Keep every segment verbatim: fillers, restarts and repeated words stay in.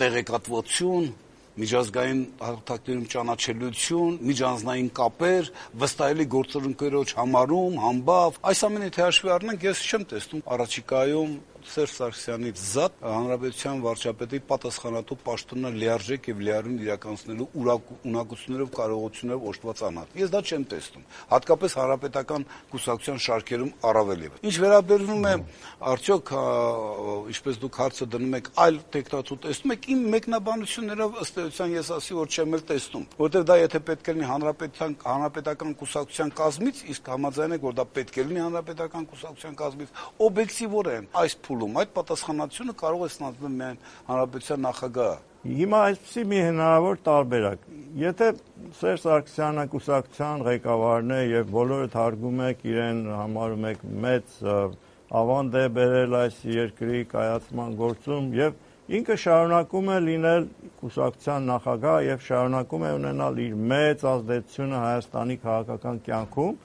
տեղեկատվություն, միջազգային հարթակներում ճանաչելիություն, միջանձնային կապեր, վստահելի գործընկերոջ համարում, համբավ, այս ամենը թե հաշվի առնենք, ես չեմ տեսնում առաջիկայում Սերժ Սարգսյանից զատ հանրապետության վարչապետի պատասխանատու պաշտոնը լիարժեք եւ լիարին իրականացնելու ունակություններով, կարողություններով օժտված անհատ։ Ես դա չեմ տեսնում, հատկապես հանրապետական կուսակցության շարքերում առավել եւս։ Ինչ վերաբերում է արդյոք, ինչպես դուք հարցը դնում եք, այլ տեխնատու տեսնում եք, իմ մեկնաբանություններով ըստ էության ես ասի, որ չեմ էլ տեսնում, որովհետեւ դա եթե պետք է լինի հանրապետության հանրապետական կուսակցության կազմից, իսկ համաձայն եք, որ դա պետք է լինի հանրապետական կուսակցության կազմից, օբյեկտիվորեն այս փուլում այդ պատասխանատվությունը կարող է ստանձնել միայն հանրապետության նախագահը։ Հիմա այսպեսի մի հնարավոր տարբերակ։ Եթե Սերժ Սարգսյանը կուսակցության ղեկավարն է եւ բոլորը թարգում եք իրեն համարում եք մեծ ավանդ է բերել այս երկրի կայացման գործում եւ ինքը շարունակում է լինել կուսակցության նախագահ եւ շարունակում է ունենալ իր մեծ ազդեցությունը Հայաստանի քաղաքական կյանքում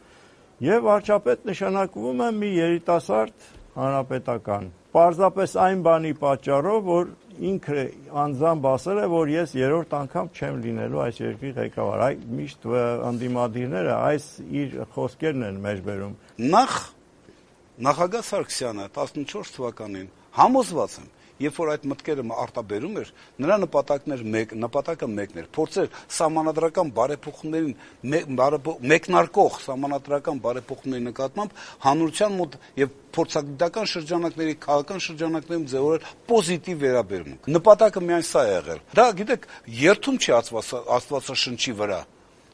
եւ վարչապետ նշանակվում է մի երիտասարդ հանրապետական։ Պարզապես այն բանի պատճառով, որ ինքը անձամբ ասել է, որ ես երրորդ անգամ չեմ լինելու այս երկրի ղեկավար։ Այ միշտ ընդդիմադիրները այս իր խոսքերն են մեջբերում։ Նախ նախագահ Սարգսյանը տասնչորս թվականին համոզված եմ, երբ որ այդ մտքերը արտաբերում էր, նրա նպատակներ մեկ, նպատակը մեկն էր, փորձեր սահմանադրական բարեփոխումներին մեկնարկող սահմանադրական բարեփոխումների նկատմամբ հանրության մոտ եւ փորձագիտական շրջանակների, քաղաքական շրջանակներում ձևորել պոզիտիվ վերաբերմունք։ Նպատակը միայն սա է եղել։ Դա, գիտեք, երթում չի Աստվածաշնչի վրա։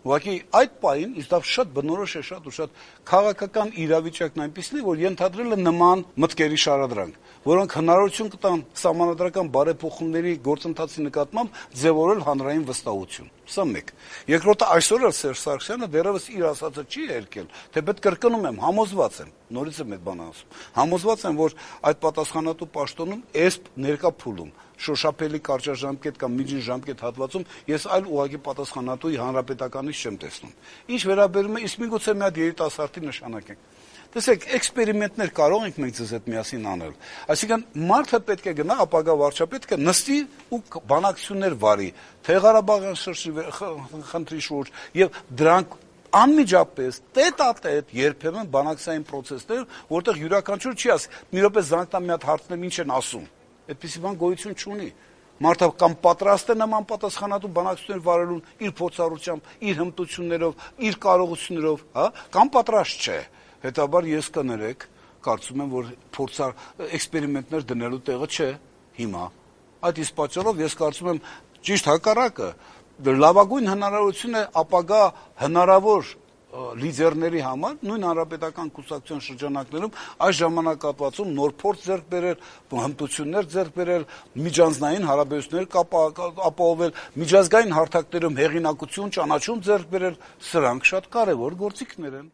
Ուղղակի այդ պահին իսկ դա շատ բնորոշ է, շատ ու շատ քաղաքական իրավիճակն այնպիսին է, որ ենթադրել է նման մտքերի շարադրանք, որոնք հնարավորություն կտան սահմանադրական բարեփոխումների գործընթացի նկատմամբ ձևորել հանրային վստահություն։ Սա մեկ։ Երկրորդը, այսօր էլ Սերժ Սարգսյանը դեռևս իր ասածը չի հերքել, թեպետ կրկնում եմ, համոզված եմ, նորից եմ այդ բանը ասում, համոզված եմ, որ այդ պատասխանատու պաշտոնում էսպ ներկա փուլում շոշափելի կարճաժամկետ կամ միջին ժամկետ հատվածում ես այլ ուղղակի պատասխանատուի հանրապետականից չեմ տեսնում։ Ինչ վերաբերում է, իսկ միգուցե մի հատ երիտասարդի նշանակենք։ Տեսեք, էքսպերիմենտներ կարող ենք մենք ձեզ հետ միասին անել։ Այսինքն մարդը պետք է գնա, ապագա վարչապետը նստի ու բանակցություններ վարի, թե Ղարաբաղյան խնդրի շուրջ եւ դրանք անմիջապես տետ-ա-տետ երբեմն բանակցային process-ներ, որտեղ յուրաքանչյուր չի ասի, մի րոպե զանգտա մի հատ հարցնեմ ինչ են ասում։ Այդպիսի բան գոյություն չունի։ Մարդը կամ պատրաստ է նման պատասխանատու բանակցություններ վարելուն իր փորձառությամբ, իր հմտություններով, իր կարողություններով, հա, կամ պատրաստ չէ։ Հետաբար ես կներեք, կարծում եմ, որ փորձար էքսպերիմենտներ դնելու տեղը չէ հիմա։ Այդ իսկ պատճառով ես կարծում եմ ճիշտ հակառակը, լավագույն հնարավորություն է ապագա հնարավոր լիդերների համար նույն հանրապետական կուսակցության շրջանակներում այս ժամանակահատվածում նոր փորձ ձեռք բերել, հմտություններ ձեռք բերել, միջանձնային հարաբերություններ ապահովել, միջազգային հարթակներում հեղինակություն, ճանաչում ձեռք բերել, սրանք շատ կարևոր գործիքներ են։